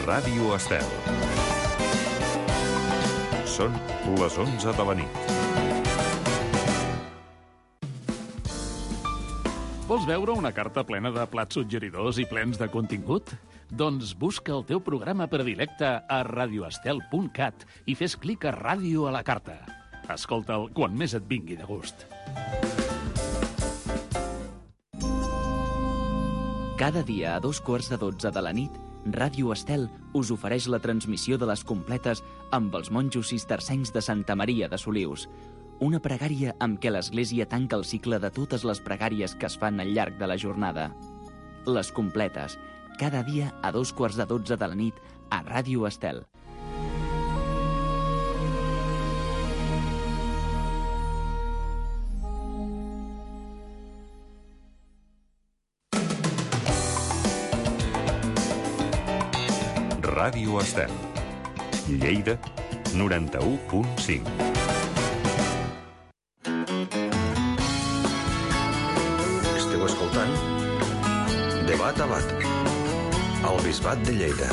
Ràdio Estel. Són les 11 de la nit. Vols veure una carta plena de plats suggeridors i plens de contingut? Doncs busca el teu programa predilecte a radioestel.cat i fes clic a Ràdio a la carta. Escolta'l quan més et vingui de gust. Cada dia a 2:15 de la nit, Ràdio Estel us ofereix la transmissió de les completes amb els monjos cistercencs de Santa Maria de Solius. Una pregària amb què l'Església tanca el cicle de totes les pregàries que es fan al llarg de la jornada. Les completes, cada dia a 2:15 de la nit a Ràdio Estel. Ràdio Estel. Lleida, 91.5. Esteu escoltant Debat a Bat, al Bisbat de Lleida.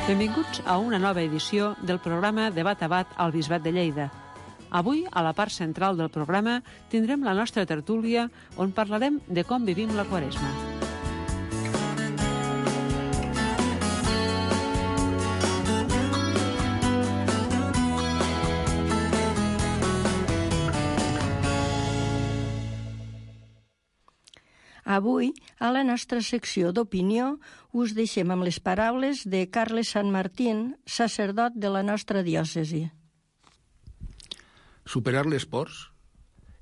Benvinguts a una nova edició del programa Debat a Bat al Bisbat de Lleida. Avui, a la part central del programa, tindrem la nostra tertúlia on parlarem de com vivim la Quaresma. Avui, a la nostra secció d'opinió, us deixem amb les paraules de Carles Sanmartín, sacerdot de la nostra diòcesi. Superar les pors?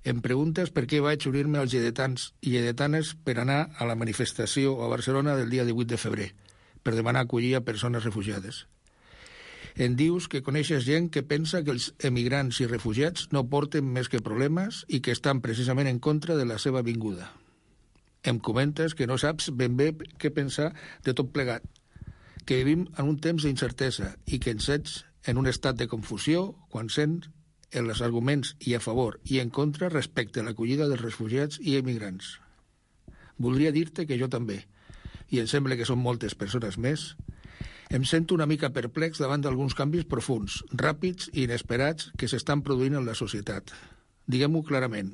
Em preguntes per què vaig unir-me als lledetans i lledetanes per anar a la manifestació a Barcelona del dia 18 de febrer, per demanar acollir a persones refugiades. Em dius que coneixes gent que pensa que els emigrants i refugiats no porten més que problemes i que estan precisament en contra de la seva vinguda. Em comentes que no saps ben bé què pensar de tot plegat, que vivim en un temps d'incertesa i que ens ets en un estat de confusió quan sents els arguments i a favor i en contra respecte a l'acollida dels refugiats i emigrants. Voldria dir-te que jo també, i em sembla que són moltes persones més, em sento una mica perplex davant d'alguns canvis profunds, ràpids i inesperats que s'estan produint en la societat. Diguem-ho clarament.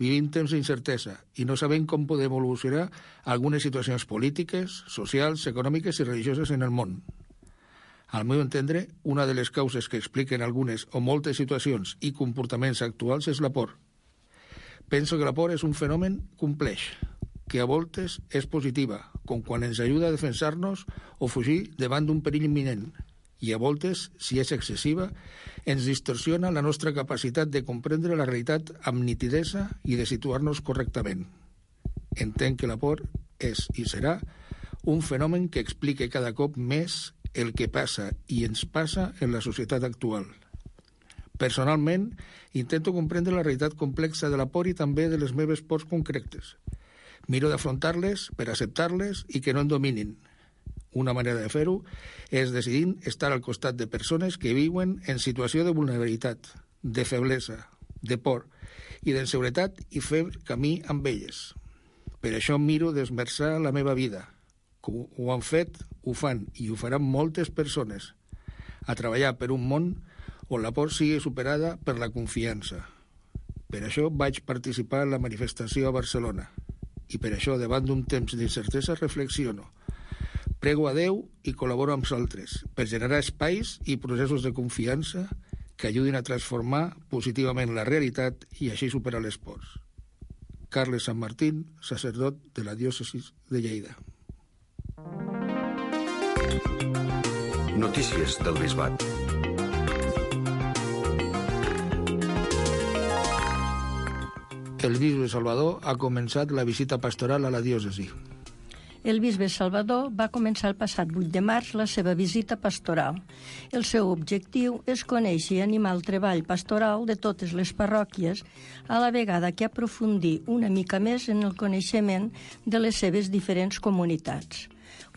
Vivim temps d'incertesa i no sabem com podem evolucionar algunes situacions polítiques, socials, econòmiques i religioses en el món. Al meu entendre, una de les causes que expliquen algunes o moltes situacions i comportaments actuals és la por. Penso que la por és un fenomen complex, que a voltes és positiva, com quan ens ajuda a defensar-nos o fugir davant d'un perill imminent, i a voltes, si és excessiva, ens distorsiona la nostra capacitat de comprendre la realitat amb nitidesa i de situar-nos correctament. Entenc que la por és i serà un fenomen que explica cada cop més el que passa i ens passa en la societat actual. Personalment, intento comprendre la realitat complexa de la por i també de les meves pors concretes. Miro d'afrontar-les per acceptar-les i que no em dominin. Una manera de fer-ho és decidint estar al costat de persones que viuen en situació de vulnerabilitat, de feblesa, de por i d'inseguretat i fer camí amb elles. Per això miro d'esmerçar la meva vida. Com ho han fet, ho fan i ho faran moltes persones, a treballar per un món on la por sigui superada per la confiança. Per això vaig participar en la manifestació a Barcelona i per això, davant d'un temps d'incertesa, reflexiono. Prego a Déu i col·laboro amb altres per generar espais i processos de confiança que ajudin a transformar positivament la realitat i així superar les pors. Carles Sanmartín, sacerdot de la diòcesi de Lleida. Notícies del Bisbat. El bisbe Salvador ha començat la visita pastoral a la diòcesi. El bisbe Salvador va començar el passat 8 de març la seva visita pastoral. El seu objectiu és conèixer i animar el treball pastoral de totes les parròquies, a la vegada que aprofundir una mica més en el coneixement de les seves diferents comunitats.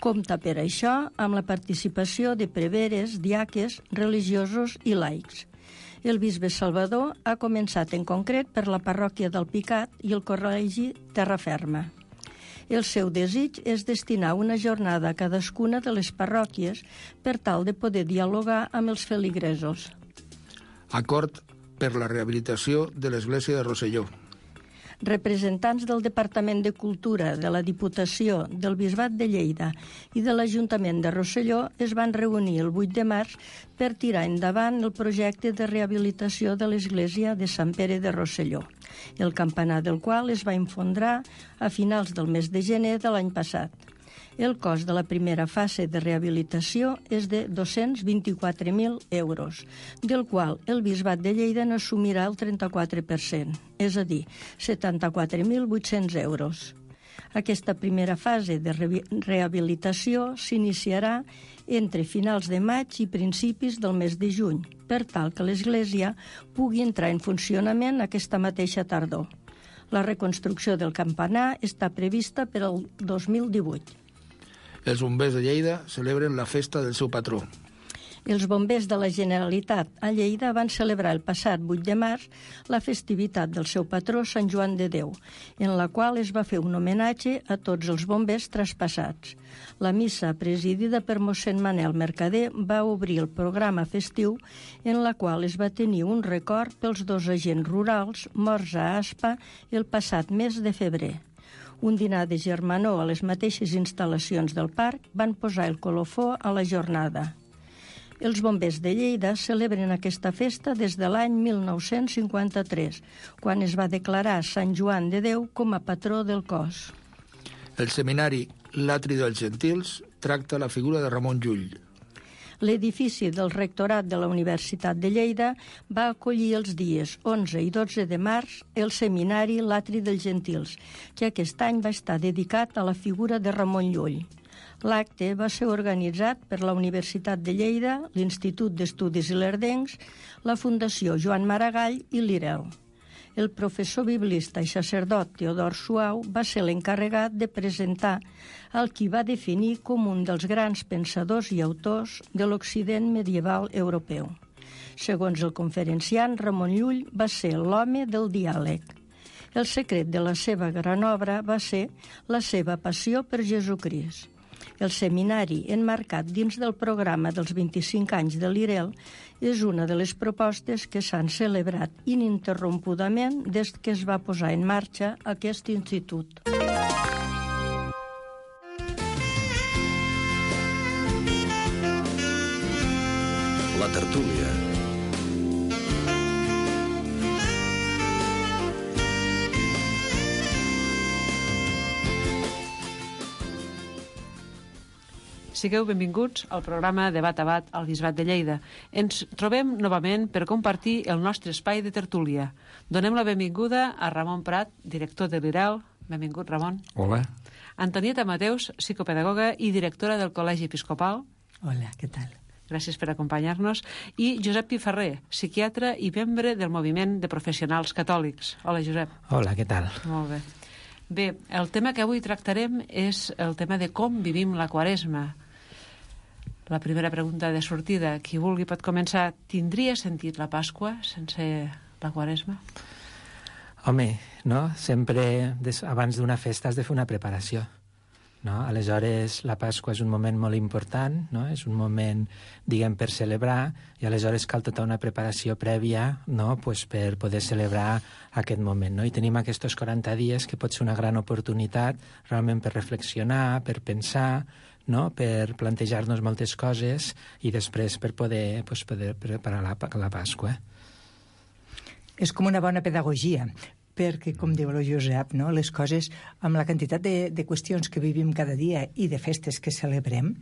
Compta per això amb la participació de preveres, diaques, religiosos i laics. El bisbe Salvador ha començat en concret per la parròquia del Picat i el col·legi Terraferma. El seu desig és destinar una jornada a cadascuna de les parròquies per tal de poder dialogar amb els feligresos. Acord per la rehabilitació de l'església de Rosselló. Representants del Departament de Cultura, de la Diputació, del Bisbat de Lleida i de l'Ajuntament de Rosselló es van reunir el 8 de març per tirar endavant el projecte de rehabilitació de l'església de Sant Pere de Rosselló, el campanar del qual es va infondrar a finals del mes de gener de l'any passat. El cost de la primera fase de rehabilitació és de 224.000 euros, del qual el Bisbat de Lleida n'assumirà el 34%, és a dir, 74.800 euros. Aquesta primera fase de rehabilitació s'iniciarà entre finals de maig i principis del mes de juny, per tal que l'església pugui entrar en funcionament aquesta mateixa tardor. La reconstrucció del campanar està prevista per al 2018. Els bombers de Lleida celebren la festa del seu patró. Els bombers de la Generalitat a Lleida van celebrar el passat 8 de març la festivitat del seu patró Sant Joan de Déu, en la qual es va fer un homenatge a tots els bombers traspassats. La missa, presidida per mossèn Manel Mercader, va obrir el programa festiu en la qual es va tenir un record pels 2 agents rurals morts a Aspa el passat mes de febrer. Un dinar de germanor a les mateixes instal·lacions del parc van posar el colofó a la jornada. Els bombers de Lleida celebren aquesta festa des de l'any 1953, quan es va declarar Sant Joan de Déu com a patró del cos. El seminari L'Atri dels Gentils tracta la figura de Ramon Llull. L'edifici del rectorat de la Universitat de Lleida va acollir els dies 11 i 12 de març el seminari L'Atri dels Gentils, que aquest any va estar dedicat a la figura de Ramon Llull. L'acte va ser organitzat per la Universitat de Lleida, l'Institut d'Estudis Ilerdencs, la Fundació Joan Maragall i l'IREL. El professor biblista i sacerdot Teodor Suau va ser l'encarregat de presentar el qui va definir com un dels grans pensadors i autors de l'Occident medieval europeu. Segons el conferenciant, Ramon Llull va ser l'home del diàleg. El secret de la seva gran obra va ser la seva passió per Jesucrist. El seminari, emmarcat dins del programa dels 25 anys de l'IREL, és una de les propostes que s'han celebrat ininterrompudament des que es va posar en marxa aquest institut. La tertúlia. Sigueu benvinguts al programa Debat a Bat al Bisbat de Lleida. Ens trobem novament per compartir el nostre espai de tertúlia. Donem la benvinguda a Ramon Prat, director de l'IREL. Benvingut, Ramon. Hola. Antonieta Mateus, psicopedagoga i directora del Col·legi Episcopal. Hola, què tal? Gràcies per acompanyar-nos. I Josep Piferrer, psiquiatre i membre del Moviment de Professionals Catòlics. Hola, Josep. Hola, què tal? Molt bé. Bé, el tema que avui tractarem és el tema de com vivim la Quaresma. La primera pregunta de sortida, qui vulgui pot començar. Tindria sentit la Pasqua sense la Quaresma? Home, no? Sempre abans d'una festa has de fer una preparació, no? Aleshores, la Pasqua és un moment molt important, no? És un moment, diguem, per celebrar, i aleshores cal tota una preparació prèvia, no? Pues per poder celebrar aquest moment, no? I tenim aquests 40 dies que pot ser una gran oportunitat realment per reflexionar, per pensar, no? Per plantejar-nos moltes coses i després per poder preparar la Pasqua. És com una bona pedagogia, perquè, com diu el Josep, no? Les coses, amb la quantitat de qüestions que vivim cada dia i de festes que celebrem,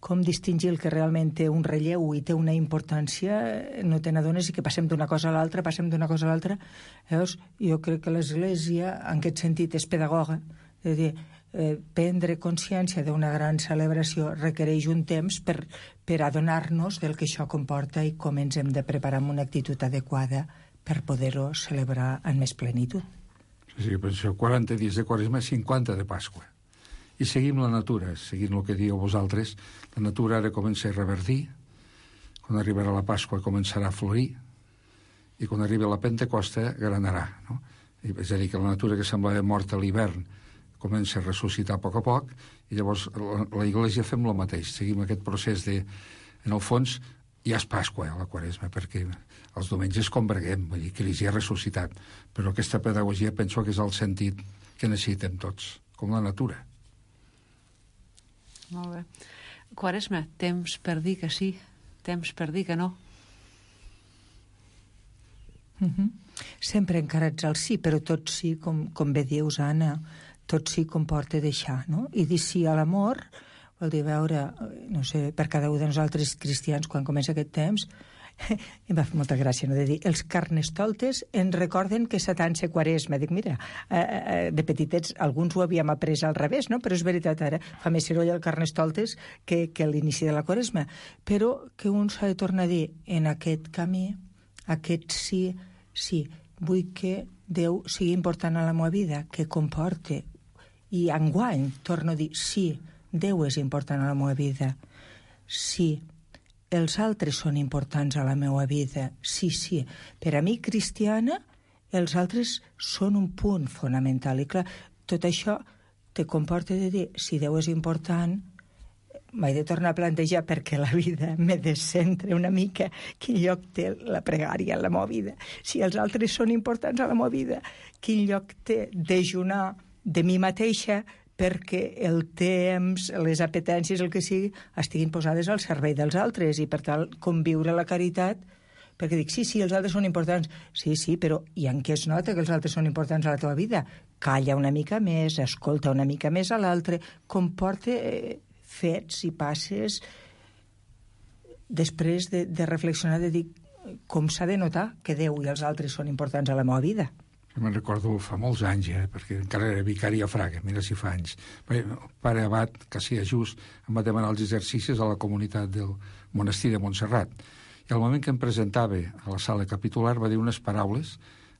com distingir el que realment té un relleu i té una importància, no te n'adones, i que passem d'una cosa a l'altra, Llavors, jo crec que l'Església, en aquest sentit, és pedagoga, és a dir, prendre consciència d'una gran celebració requereix un temps per adonar-nos del que això comporta i com ens hem de preparar amb una actitud adequada per poder-ho celebrar en més plenitud. Sí, per això 40 dies de Quaresma, 50 de Pasqua. I seguim la natura, seguint el que dieu vosaltres. La natura ara comença a reverdir, quan arribarà la Pasqua començarà a florir, i quan arribi la Pentecosta granarà, no? És a dir, que la natura que semblava morta a l'hivern comença a ressuscitar a poc, i llavors la Iglésia fem el mateix, seguim aquest procés de... En el fons, ja és Pasqua, la Quaresma, perquè els diumenges converguem, vull dir, Crist ja ha ressuscitat, però aquesta pedagogia penso que és el sentit que necessitem tots, com la natura. Molt bé. Quaresma, temps per dir que sí, temps per dir que no. Sempre encarats al sí, però tot sí, com bé dius, Anna, tot sí comporta deixar, no? I dir sí a l'amor vol dir veure, no sé, per cada un de nosaltres cristians, quan comença aquest temps, em va fer molta gràcia, no?, de dir, els carnestoltes ens recorden que Satan se Quaresma. Dic, mira, de petitets alguns ho havíem après al revés, no?, però és veritat, ara fa més soroll el carnestoltes que l'inici de la Quaresma. Però que un s'ha de tornar a dir, en aquest camí, aquest sí, vull que Déu sigui important a la meva vida, que comporte, i enguany torno a dir, sí, Déu és important a la meva vida, sí, els altres són importants a la meva vida, sí, per a mi cristiana els altres són un punt fonamental, i clar, tot això te comporta de dir, si Déu és important, m'he de tornar a plantejar perquè la vida me descentra una mica quin lloc té la pregària en la meva vida. Si els altres són importants a la meva vida, quin lloc té dejunar de mi mateixa perquè el temps, les apetències, el que sigui, estiguin posades al servei dels altres, i per tal conviure la caritat, perquè dic, sí, els altres són importants, sí, però i en què es nota que els altres són importants a la teva vida? Calla una mica més, escolta una mica més a l'altre, comporta fets i passes després de reflexionar, de dir com s'ha de notar que Déu i els altres són importants a la meva vida. Jo me'n recordo fa molts anys, perquè encara era vicari a Fraga, mira si fa anys. El pare abat, que sí, just, em va demanar els exercicis a la comunitat del monestir de Montserrat. I al moment que em presentava a la sala capitular va dir unes paraules,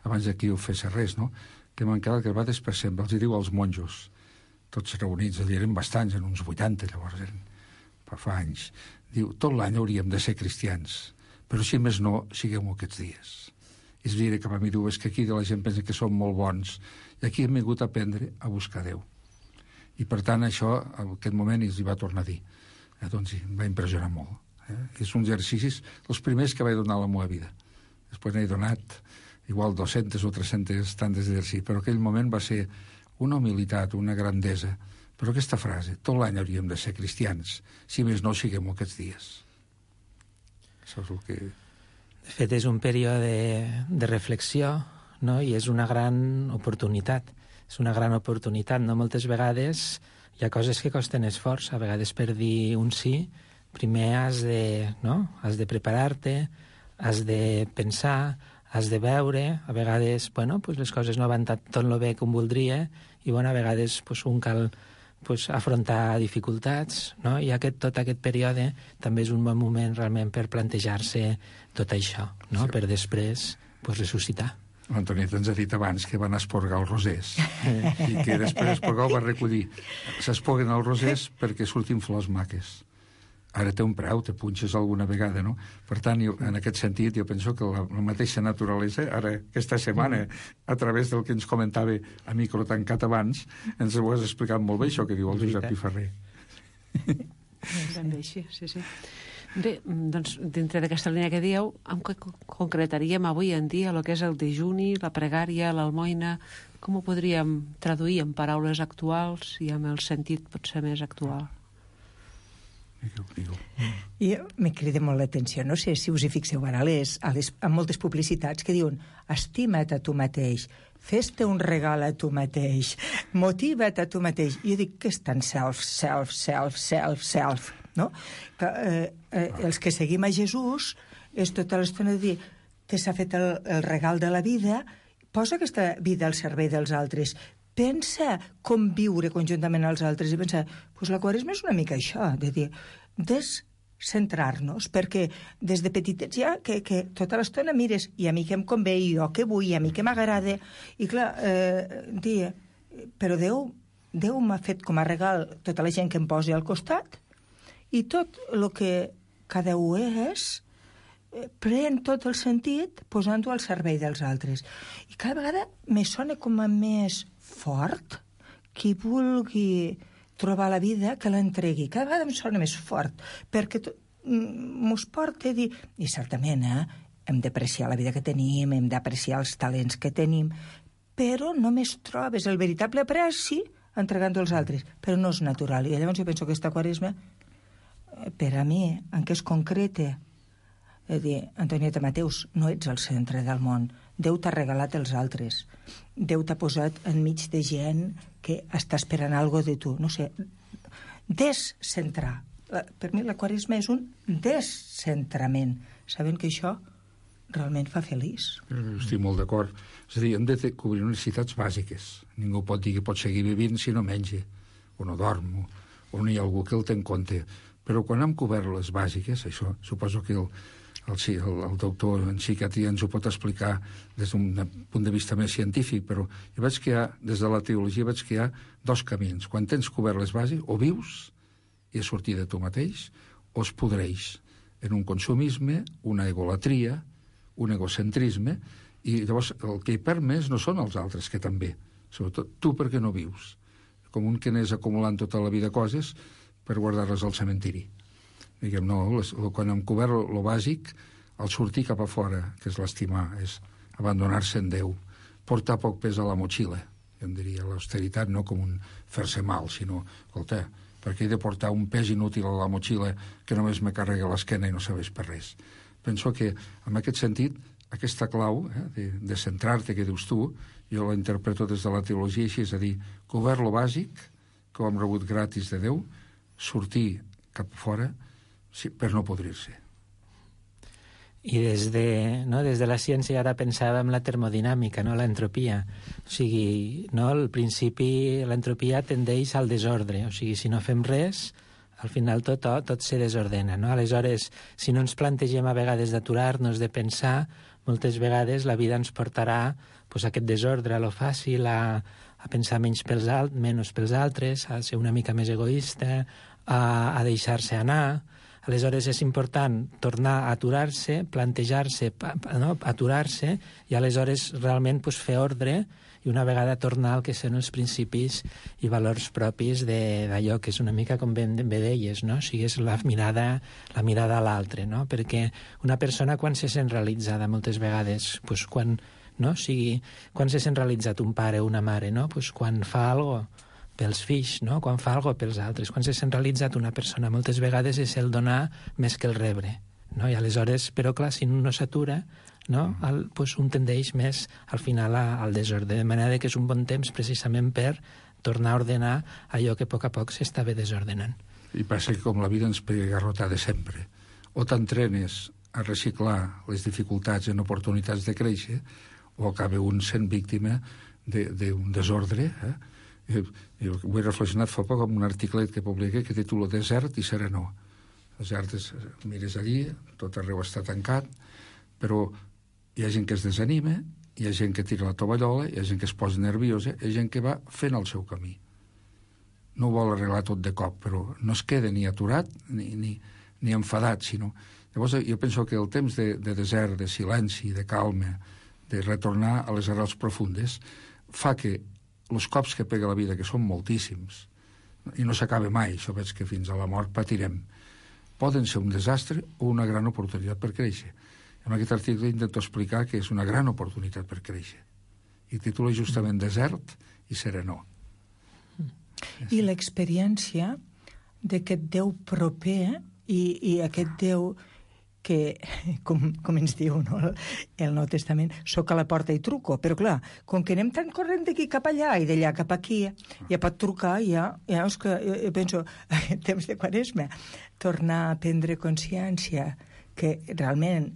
abans que jo fes res, no?, que m'han quedat gravades per sempre. Els hi diu als monjos, tots reunits, allà eren bastants, en uns 80, llavors eren fa anys. Diu, tot l'any hauríem de ser cristians, però si més no, siguem-ho aquests dies. És dir, que a mi diu, és que aquí la gent pensa que som molt bons, i aquí hem vingut a aprendre a buscar Déu. I per tant, això, en aquest moment, els hi va tornar a dir. Doncs sí, em va impressionar molt. És un exercicis, els primers que vaig donar a la meva vida. Després n'he donat igual 200 o 300 tantes d'exercicis, però aquell moment va ser una humilitat, una grandesa. Però aquesta frase, tot l'any hauríem de ser cristians, si més no siguem aquests dies. Això és el que... De fet, és un període de reflexió, no?, i és una gran oportunitat. És una gran oportunitat, no? Moltes vegades hi ha coses que costen esforç. A vegades per dir un sí, primer has de preparar-te, has de pensar, has de veure. A vegades, les coses no van tot lo bé com voldria, i a vegades un cal afrontar dificultats, no? I tot aquest període també és un bon moment realment per plantejar-se tot això, no? Sí. Per després ressuscitar. L'Antonieta ens ha dit abans que van esporgar els rosers i que després esporgar ho va recollir. S'esporguen els rosers perquè surtin flors maques. Ara té un preu, te punxes alguna vegada, no? Per tant, en aquest sentit, jo penso que la mateixa naturalesa, ara, aquesta setmana, a través del que ens comentava a micro tancat abans, ens ho has explicat molt bé, això que diu el Josep Piferrer. Ben bé, sí. Bé, doncs, dintre d'aquesta línia que dieu, en què concretaríem avui en dia el que és el dejuni, la pregària, l'almoina? Com ho podríem traduir en paraules actuals i amb el sentit potser més actual? I me crida molt l'atenció, no sé si us hi fixeu ara a moltes publicitats que diuen estima't a tu mateix, fes-te un regal a tu mateix, motiva't a tu mateix. I jo dic que és tan self, no? Els que seguim a Jesús és tota l'estona de dir que s'ha fet el regal de la vida, posa aquesta vida al servei dels altres, pensa com viure conjuntament als altres i pensa, la Quaresma és una mica això, de dir, descentrar-nos, perquè des de petitets ja que tota l'estona mires, i a mi què em convé, i jo què vull, i a mi què m'agrada, i clar, dir, però Déu m'ha fet com a regal tota la gent que em posi al costat, i tot el que cada un és, pren tot el sentit posant-ho al servei dels altres. I cada vegada me sona com a més fort qui vulgui trobar la vida, que l'entregui. Cada vegada em sona més fort, perquè mos porta a dir... I certament, hem d'apreciar la vida que tenim, hem d'apreciar els talents que tenim, però només trobes el veritable apreci entregant-ho als altres, però no és natural. I llavors jo penso que aquesta Quaresma, per a mi, en què es concreta, és dir, Antonieta Mateus, no ets el centre del món. Déu t'ha regalat els altres. Déu t'ha posat enmig de gent que està esperant alguna cosa de tu. No sé, descentrar. Per mi la Quaresma és un descentrament, sabent que això realment fa feliç. Estic molt d'acord. És a dir, hem de cobrir necessitats bàsiques. Ningú pot dir que pot seguir vivint si no menja, o no dorm, o no hi ha algú que el té en compte. Però quan hem cobert les bàsiques, això suposo que el doctor en psiquiatria ens ho pot explicar des d'un punt de vista més científic, però jo veig que des de la teologia veig que hi ha dos camins. Quan tens cobert les bases, o vius i és sortir de tu mateix, o es podreix en un consumisme, una egolatria, un egocentrisme, i llavors el que hi perd més no són els altres, que també, sobretot tu perquè no vius, com un que n'és acumulant tota la vida coses per guardar-les al cementiri. Diguem, no, quan hem cobert lo bàsic, el sortir cap a fora, que és l'estimar, és abandonar-se en Déu, portar poc pes a la motxilla, jo en diria l'austeritat no com un fer-se mal, sinó, escolta, perquè he de portar un pes inútil a la motxilla que només me carrega l'esquena i no serveix per res. Penso que, en aquest sentit, aquesta clau de centrar-te, que dius tu, jo la interpreto des de la teologia així, és a dir, cobert lo bàsic, que ho hem rebut gratis de Déu, sortir cap fora per no podrir-se. I des de la ciència ara pensàvem la termodinàmica, no? L'entropia. O sigui, no? Al principi l'entropia tendeix al desordre. O sigui, si no fem res, al final tot se desordena, no? Aleshores, si no ens plantegem a vegades d'aturar-nos, de pensar, moltes vegades la vida ens portarà pues, a aquest desordre, a lo fàcil, a pensar menys pels altres, a ser una mica més egoista, a deixar-se anar. Aleshores és important tornar a aturar-se, plantejar-se, no? Aturar-se i aleshores realment pues, fer ordre i una vegada tornar al que són els principis i valors propis d'allò que és una mica com bé deies, no? O sigui, és la mirada a l'altre, no? Perquè una persona quan se sent realitzada moltes vegades, pues, quan se sent realitzat un pare o una mare, no? Pues, quan fa alguna cosa pels fills, no? Quan fa alguna cosa pels altres. Quan se sent realitzat una persona moltes vegades és el donar més que el rebre, no? I aleshores, però clar, si no s'atura, no? Pues un tendeix més al final al desordre, de manera que és un bon temps precisament per tornar a ordenar allò que a poc s'estava desordenant. I passa que com la vida ens pega garrotada sempre, o t'entrenes a reciclar les dificultats en oportunitats de créixer, o acaba un sent víctima d'un desordre, Jo ho he reflexionat fa poc amb un articlet que publiqué que titula Desert i serenor. Desert és, mires allí, tot arreu està tancat, però hi ha gent que es desanima, hi ha gent que tira la tovallola, hi ha gent que es posa nerviosa, hi ha gent que va fent el seu camí. No ho vol arreglar tot de cop, però no es queda ni aturat ni enfadat, sinó... Llavors jo penso que el temps de desert, de silenci, de calma, de retornar a les arrels profundes, fa que els cops que pega la vida, que són moltíssims, i no s'acaba mai, això veig que fins a la mort patirem, poden ser un desastre o una gran oportunitat per créixer. En aquest article intento explicar que és una gran oportunitat per créixer. I titula justament Desert i serenor. I l'experiència d'aquest Déu proper i aquest Déu que, com ens diu, no? El Nou Testament, soc a la porta i truco, però clar, com que anem tan corrent d'aquí cap allà i d'allà cap aquí, ja pot trucar, ja és que jo penso, en temps de Quaresma, tornar a prendre consciència que realment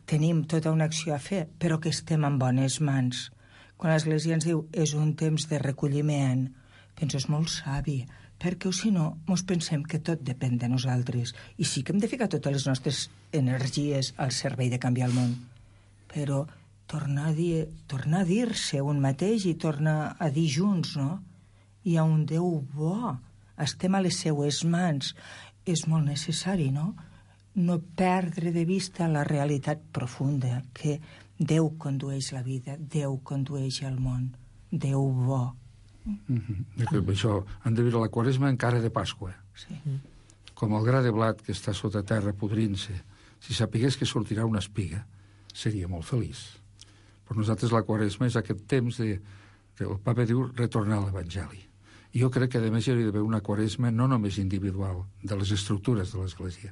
tenim tota una acció a fer, però que estem en bones mans. Quan l'Església ens diu és un temps de recolliment, penso, és molt savi, perquè si no, ens pensem que tot depèn de nosaltres. I sí que hem de ficar totes les nostres energies al servei de canviar el món. Però tornar a dir-se un mateix i tornar a dir junts, no? Hi ha un Déu bo, estem a les seues mans. És molt necessari, no? No perdre de vista la realitat profunda, que Déu condueix la vida, Déu condueix el món, Déu bo. Això, han de viure la Quaresma encara de Pasqua. Sí. Com el gra de blat que està sota terra podrint-se. Si sapigués que sortirà una espiga, seria molt feliç. Per nosaltres la Quaresma és aquest temps de el papa diu retornar a l'Evangeli. I jo crec que a més hi hauria d'haver una Quaresma no només individual, de les estructures de l'Església,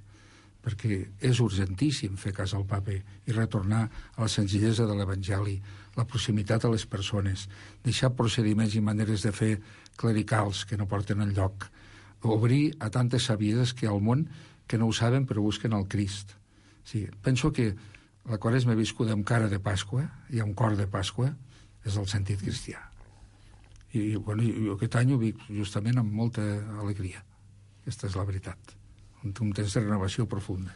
perquè és urgentíssim fer cas al papa i retornar a la senzillesa de l'Evangeli, la proximitat a les persones, deixar procediments i maneres de fer clericals que no porten enlloc, obrir a tantes sabieses que al món que no ho saben però busquen el Crist. Sí, penso que la Quaresma viscuda amb cara de Pasqua i amb cor de Pasqua és el sentit cristià. I aquest any ho vic justament amb molta alegria. Aquesta és la veritat. Un temps de renovació profunda.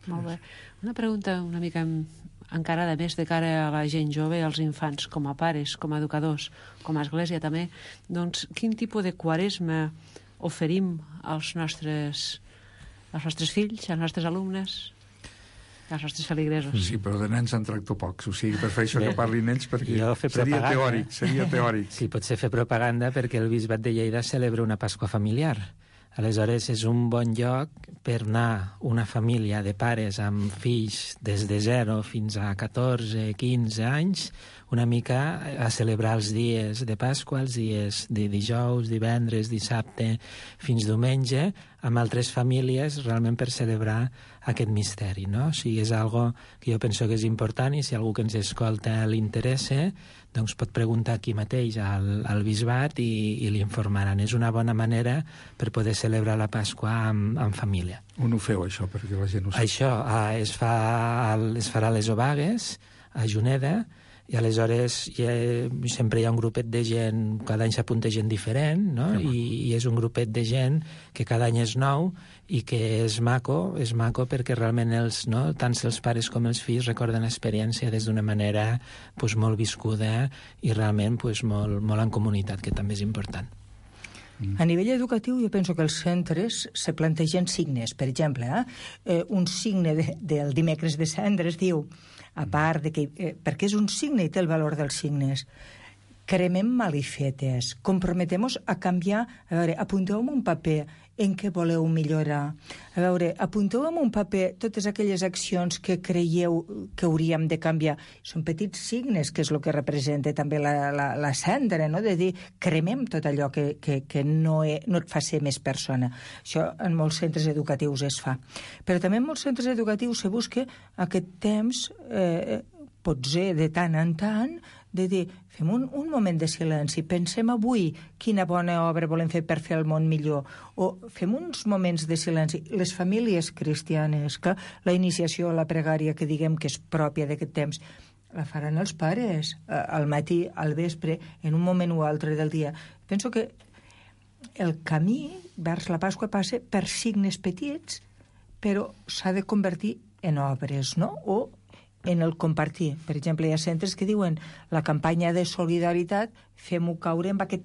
Molt bé. Una pregunta una mica encara de més de cara a la gent jove, als infants, com a pares, com a educadors, com a església també. Doncs quin tipus de Quaresma oferim als nostres fills, als nostres alumnes, als nostres feligresos? Sí, però de nens en tracto pocs, o sigui, prefereixo que parlin ells perquè seria teòric. Sí, potser fer propaganda perquè el Bisbat de Lleida celebra una Pasqua familiar. Aleshores, és un bon lloc per anar una família de pares amb fills des de 0 fins a 14, 15 anys, una mica a celebrar els dies de Pasqua, els dies de dijous, divendres, dissabte, fins diumenge, amb altres famílies, realment per celebrar aquest misteri, no? O sigui, és algo que jo penso que és important i si algú que ens escolta li interessa, doncs pot preguntar aquí mateix al bisbat i li informaran. És una bona manera per poder celebrar la Pasqua en família. On ho feu, això, perquè la gent ho sap? Això es farà a les Obagues, a Juneda, i aleshores sempre hi ha un grupet de gent, cada any s'apunta gent diferent, no? I és un grupet de gent que cada any és nou i que és maco perquè realment tant els pares com els fills recorden l'experiència des d'una manera molt viscuda i realment molt en comunitat, que també és important. A nivell educatiu, jo penso que els centres se plantegen signes. Per exemple, un signe del dimecres de cendres diu, a part de que, perquè és un signe i té el valor dels signes, cremem malifetes, comprometemos a canviar, a veure, apunteu en un paper en què voleu millorar. A veure, apunteu en un paper totes aquelles accions que creieu que hauríem de canviar. Són petits signes, que és el que representa també la cendra, no? De dir, cremem tot allò que no et fa ser més persona. Això en molts centres educatius es fa. Però també en molts centres educatius se busca aquest temps, potser de tant en tant, de dir, fem un moment de silenci, pensem avui quina bona obra volem fer per fer el món millor, o fem uns moments de silenci. Les famílies cristianes, que la iniciació, la pregària, que diguem que és pròpia d'aquest temps, la faran els pares, al matí, al vespre, en un moment o altre del dia. Penso que el camí vers la Pasqua passa per signes petits, però s'ha de convertir en obres, no? O en el compartir. Per exemple, hi ha centres que diuen la campanya de solidaritat fem-ho caure en aquest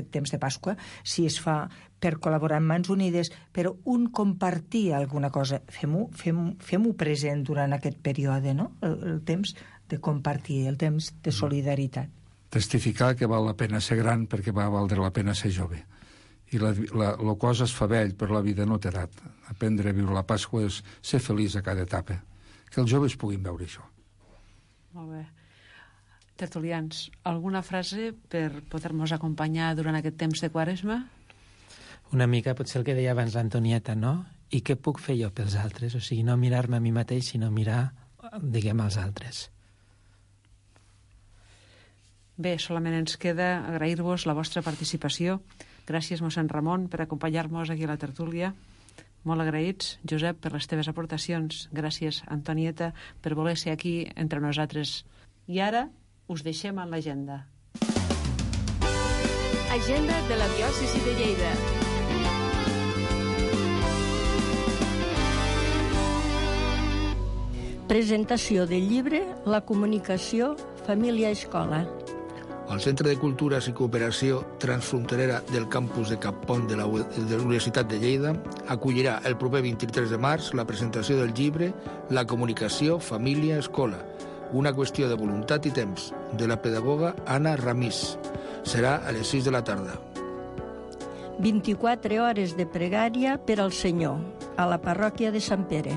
temps de Pasqua, si es fa per col·laborar amb Mans Unides, però un compartir alguna cosa, fem-ho present durant aquest període, no? El temps de compartir, el temps de solidaritat. Testificar que val la pena ser gran perquè va valdre la pena ser jove. I la cosa es fa vell, però la vida no té edat. Aprendre a viure la Pasqua és ser feliç a cada etapa. Que els joves puguin veure això. Molt bé. Tertulians, alguna frase per poder-nos acompanyar durant aquest temps de Quaresma? Una mica potser el que deia abans l'Antonieta, no? I què puc fer jo pels altres? O sigui, no mirar-me a mi mateix, sinó mirar, diguem, als altres. Bé, solament ens queda agrair-vos la vostra participació. Gràcies, mossèn Ramon, per acompanyar-nos aquí a la tertúlia. Molt agraïts, Josep, per les teves aportacions. Gràcies, Antonieta, per voler ser aquí entre nosaltres. I ara us deixem en l'agenda. Agenda de la diòcesi de Lleida. Presentació del llibre La comunicació, família, escola. El Centre de Cultures i Cooperació Transfronterera del campus de Cappont de la Universitat de Lleida acollirà el proper 23 de març la presentació del llibre La comunicació, família, escola, una qüestió de voluntat i temps, de la pedagoga Anna Ramís. Serà a les 6 de la tarda. 24 hores de pregària per al Senyor, a la parròquia de Sant Pere.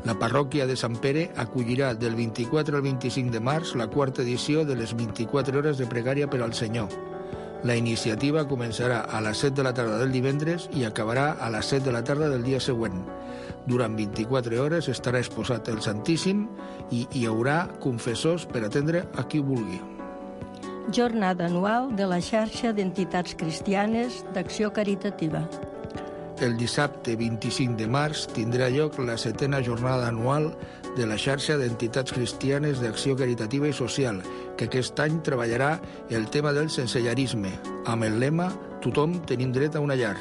La parròquia de Sant Pere acollirà del 24 al 25 de març la quarta edició de les 24 hores de pregària per al Senyor. La iniciativa començarà a les 7 de la tarda del divendres i acabarà a les 7 de la tarda del dia següent. Durant 24 hores estarà exposat el Santíssim i hi haurà confessors per atendre a qui vulgui. Jornada anual de la xarxa d'entitats cristianes d'acció caritativa. El dissabte 25 de març tindrà lloc la 7a jornada anual de la xarxa d'entitats cristianes d'acció caritativa i social, que aquest any treballarà el tema del sensellarisme, amb el lema «Tothom tenim dret a una llar».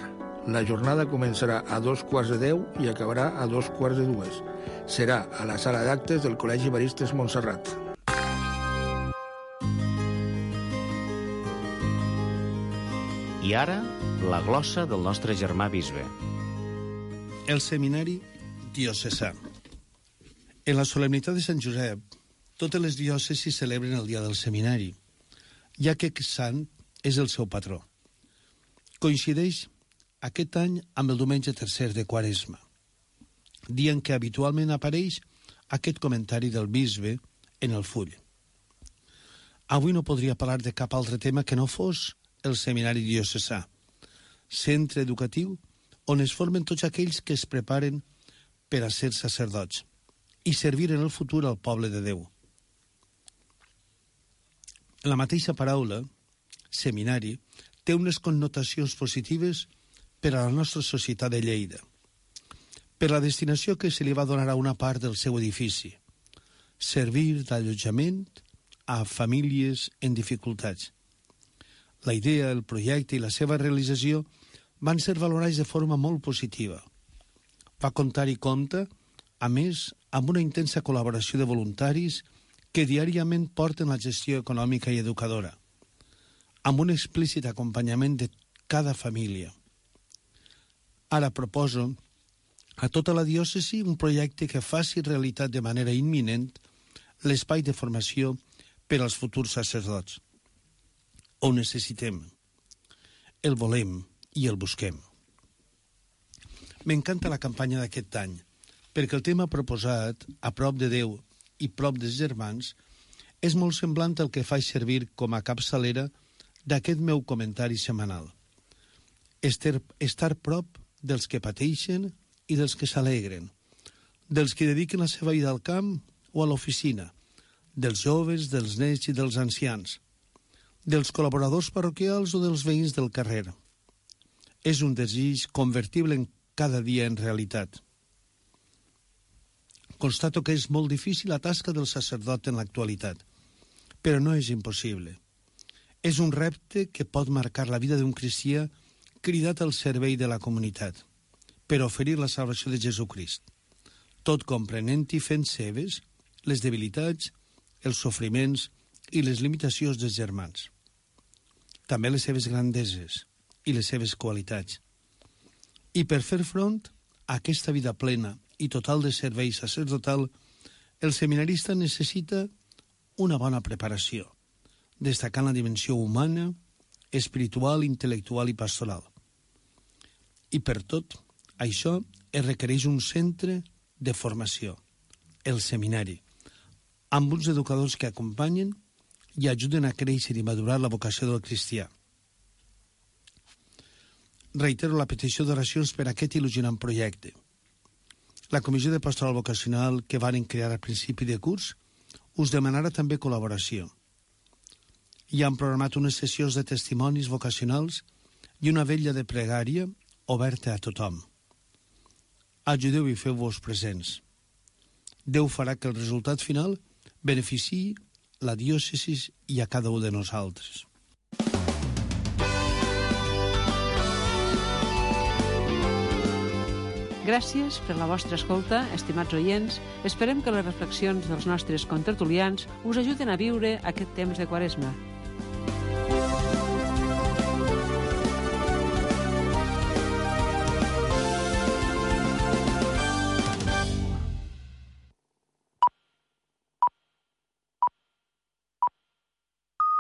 La jornada començarà a 2:15 i acabarà a 2:45. Serà a la sala d'actes del Col·legi Evaristes Montserrat. I ara, la glossa del nostre germà bisbe. El seminari diocesà. En la solemnitat de Sant Josep, totes les diòcesis celebren el dia del seminari, ja que aquest sant és el seu patró. Coincideix aquest any amb el diumenge tercer de Quaresma, dia en què habitualment apareix aquest comentari del bisbe en el full. Avui no podria parlar de cap altre tema que no fos el seminari diocesà, centre educatiu on es formen tots aquells que es preparen per a ser sacerdots i servir en el futur al poble de Déu. La mateixa paraula, seminari, té unes connotacions positives per a la nostra societat de Lleida, per la destinació que se li va donar a una part del seu edifici, servir d'allotjament a famílies en dificultats. La idea, el projecte i la seva realització van ser valorats de forma molt positiva. Va comptar i compta, a més, amb una intensa col·laboració de voluntaris que diàriament porten la gestió econòmica i educadora, amb un explícit acompanyament de cada família. Ara proposo a tota la diòcesi un projecte que faci realitat de manera imminent l'espai de formació per als futurs sacerdots. Ho necessitem, el volem i el busquem. M'encanta la campanya d'aquest any, perquè el tema proposat, a prop de Déu i prop dels germans, és molt semblant al que faig servir com a capçalera d'aquest meu comentari setmanal. Estar prop dels que pateixen i dels que s'alegren, dels que dediquen la seva vida al camp o a l'oficina, dels joves, dels nens i dels ancians, dels col·laboradors parroquials o dels veïns del carrer. És un desig convertible en cada dia en realitat. Constato que és molt difícil la tasca del sacerdot en l'actualitat, però no és impossible. És un repte que pot marcar la vida d'un cristià cridat al servei de la comunitat, per oferir la salvació de Jesucrist, tot comprenent i fent seves les debilitats, els sofriments i les limitacions dels germans. També les seves grandeses i les seves qualitats. I per fer front a aquesta vida plena i total de servei sacerdotal, el seminarista necessita una bona preparació, destacant la dimensió humana, espiritual, intel·lectual i pastoral. I per tot això es requereix un centre de formació, el seminari, amb uns educadors que acompanyen i ajuden a créixer i madurar la vocació del cristià. Reitero la petició d'oracions per a aquest il·lusionant projecte. La Comissió de Pastoral Vocacional que varen crear al principi de curs us demanarà també col·laboració. I han programat unes sessions de testimonis vocacionals i una vetlla de pregària oberta a tothom. Ajudeu i feu-vos presents. Déu farà que el resultat final beneficiï la diòcesi i a cada un de nosaltres. Gràcies per la vostra escolta, estimats oients. Esperem que les reflexions dels nostres contertulians us ajuden a viure aquest temps de Quaresma.